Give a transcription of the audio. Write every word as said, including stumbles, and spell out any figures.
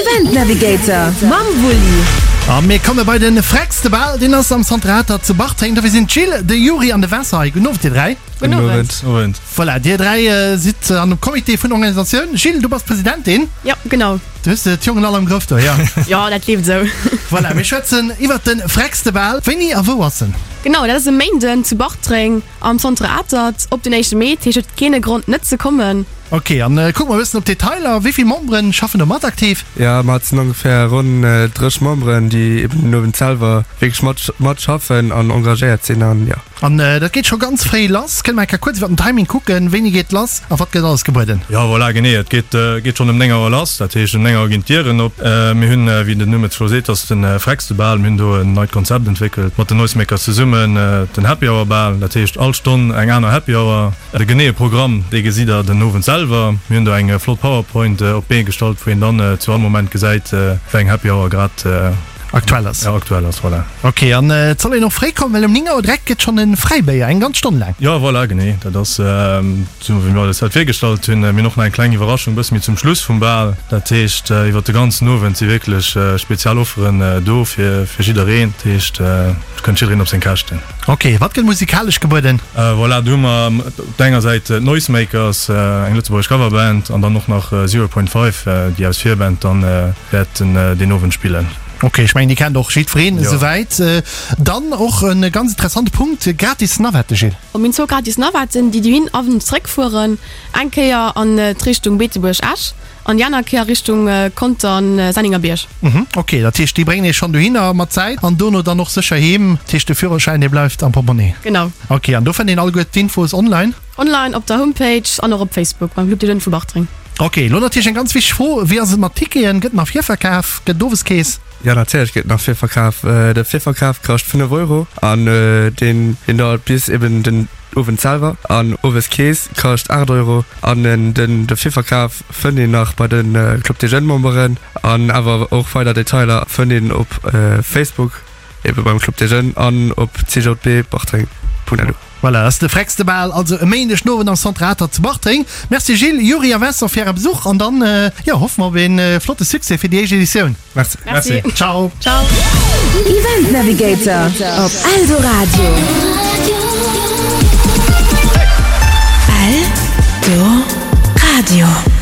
Event Navigator mam Wulli. A mir komme bei de freckste Bal, deen ass am Centre Atert zu Bartreng. Dofir sinn d'Jill, de Yuri an de Vincent hei. Gudden Owend dir dräi. Gudden Owend. Owend. Voilà, dir dräi sidd an dem Comité vun Organisatioun. Jill, du bass Presidentin. Jo, genau. Du hues d'Jongen all am Grëff do, jo? Jo, dat leeft esou. Voilà, mir schwätzen iwwert de freckste Bal. Wéini a wou ass en? Genau, dat ass e Méinden zu Bartreng am Centre Atert op den éischte Mee. Dat heescht, et huet keen e Grond net ze kommen. Ok, an kucke mer e bëssen op d'Detailer. Wéi vill Memberen schaffen do mat aktiv? Jo, ma et sinn ongeféier ronn drësseg Memberen, déi eben den Owend selwer wierklech mat matschaffen an engagéiert sinn an jo. An dat geet scho ganz fréi lass. Kënne mer eng Kéier kuerz iwwer den Timing kucken? Wéini geet lass a wat gëtt alles gebueden? Jo, voilà, genee. Et geet geet schonn ëm néng Auer lass. Dat heescht, ëm néng Auer ginn d'Dieren op. Mir hunn, wéi den Numm et scho seet, ass de freckste Bal. Mir hunn do en neit Konzept entwéckelt mat den Noisemakers zesummen, den Happy Hour Bal. Dat heescht, all Stonn eng aner Happy Hour. De geneeë Programm, dee gesitt der den Owend selwer. Mir hunn do eng flott Powerpoint op d'Been gestallt, wou een dann zu all Moment gesäit, wéi eng Happy Hour grad aktuell ass. Ja, aktuell ass, voilà. Ok, an et soll een och fréi kommen, well um néng Auer direkt gëtt schonn e Fräibéier, eng ganz Stonn laang. Jo, voilà, genee. Dat ass esou, wéi mir eis dat virgestallt hunn. Mir hunn och nach eng kleng Iwwerraschung e bësse méi zum Schluss vum Bal. Dat heescht, iwwer de ganzen Owend si wierklech spezial Offeren do fir jiddereen. Dat heescht, et kënnt jiddereen op seng Käschten. Ok, wat gëtt musikalesch gebueden? Voilà, do hu mer op der enger Säit d'Noisemakers, eng lëtzebuergesch Coverband, an dann och nach Zero Point Five, déi aus Virband dann wäerten deen Owend spillen. Ok, ech mengen déi kennt och jiddwereen esouwäit. Dann och e ganz interessante Punkt, gratis Navette, Jill. Mir hunn zwou gratis Navetten, déi dohin an zeréckfueren, eng Kéier an d'Richtung Beetebuerg-Esch An déi aner Kéier Richtung Contern, Senningerbierg. Mhm, ok, dat heescht déi bréngen iech schonn dohinner mat Zäit an dono dann och sécher heem. Dat heescht de Führerschäin dee bleift am Portmonnaie. Genau. Ok, an do fënnt een alleguer d'Infos online? Online op der Homepage an och op Facebook beim Club des Jeunes vu Bartreng. Ok, elo natierlech eng ganz wichteg Fro, Wéi ass et mat Ticketen? Gëtt nach virverkaf? Gëtt et Oweskeess? Jo, natierlech gëtt nach virverkaf. De Virverkaf kascht fënnef Euro an deen dauert bis eben den Owend selwer. An Oweskeess kascht aacht Euro an den de Virverkaf fënnt een nach bei de Club des Jeunes Memberen an awer och weider Detailer fënnt een op Facebook ebe beim Club des Jeunes an op cjbbartreng.lu. Voilà, dat ass de freckste Bal, also e Méindeg den Owend am Centre Atert zu Bartreng. Merci Gilles, Yuri a Vincent fir äre Besuch an dann, jo, hoffe mer op een flotte Succès fir déi éischt Editioun. Merci. Merci. Ciao. Ciao. Event Navigator op Eldoradio. Eldoradio.